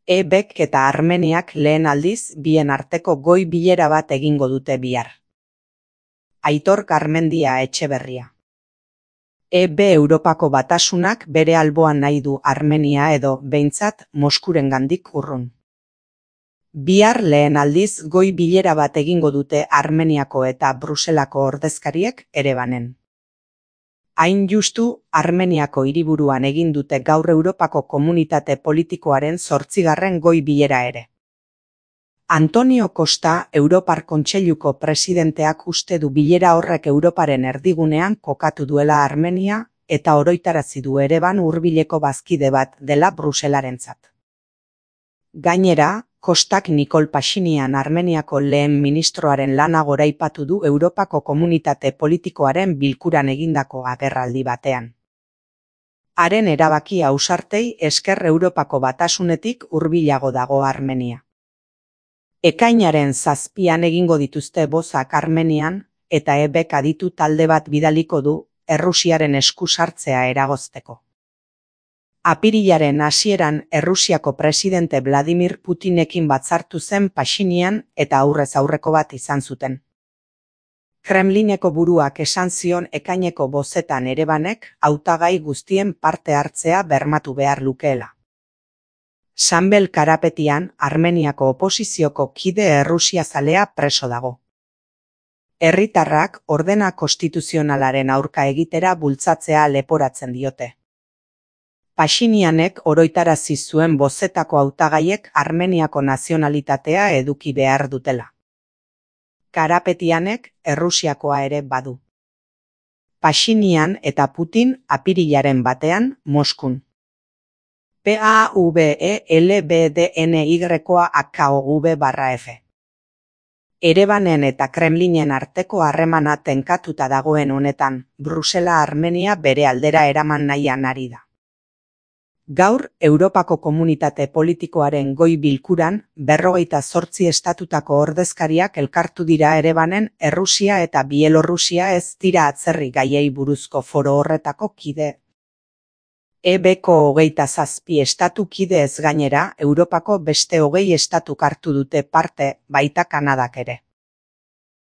EBek eta Armeniak lehen aldiz bien arteko goi bilera bat egingo dute bihar. Aitor Garmendia Etxeberria. EB Europako Batasunak bere alboan nahi du Armenia edo, behintzat, Moskurengandik urrun. Bihar lehen aldiz goi bilera bat egingo dute Armeniako eta Bruselako ordezkariek Erebanen. Hain justu, Armeniako hiriburuan egin dute gaur Europako Komunitate Politikoaren 8. goi bilera ere. Antonio Costa, Europar Kontseiluko presidenteak uste du bilera horrek Europaren erdigunean kokatu duela Armenia eta oroitarazi du Ereban hurbileko bazkide bat dela Bruselarentzat. Gainera, Kostak Nikol Pashinyan Armeniako lehen ministroaren lana goraipatu du Europako Komunitate Politikoaren bilkuran egindako agerraldi batean. Haren erabaki ausartei esker Europako Batasunetik hurbilago dago Armenia. Ekainaren 7an egingo dituzte bozak Armenian eta EBek aditu talde bat bidaliko du Errusiaren esku sartzea eragozteko. Apirilaren hasieran Errusiako presidente Vladimir Putinekin batzartu zen Pashinyan eta aurrez aurreko bat izan zuten. Kremlineko buruak esan zion ekaineko bozetan Erebanek hautagai guztien parte hartzea bermatu behar lukeela. Sanbel Karapetian Armeniako oposizioko kide errusiazalea preso dago. Herritarrak ordena konstituzionalaren aurka egitera bultzatzea leporatzen diote. Pashinyanek oroitarazi zuen bozetako hautagaiek Armeniako nazionalitatea eduki behar dutela. Karapetianek Errusiakoa ere badu. Pashinyan eta Putin apirilaren 1 Moskun. PAVELBDNY-AKOV/F. Erebanen eta Kremlinen arteko harremana tenkatuta dagoen honetan, Brusela Armenia bere aldera eraman nahian ari da. Gaur, Europako Komunitate Politikoaren goi bilkuran 58 estatutako ordezkariak elkartu dira Erebanen Errusia eta Bielorrusia ez dira atzerri gaiei buruzko foro horretako kide. EBko 27 estatu kide ez gainera, Europako beste 20 estatuk hartu dute parte, baita Kanadak ere.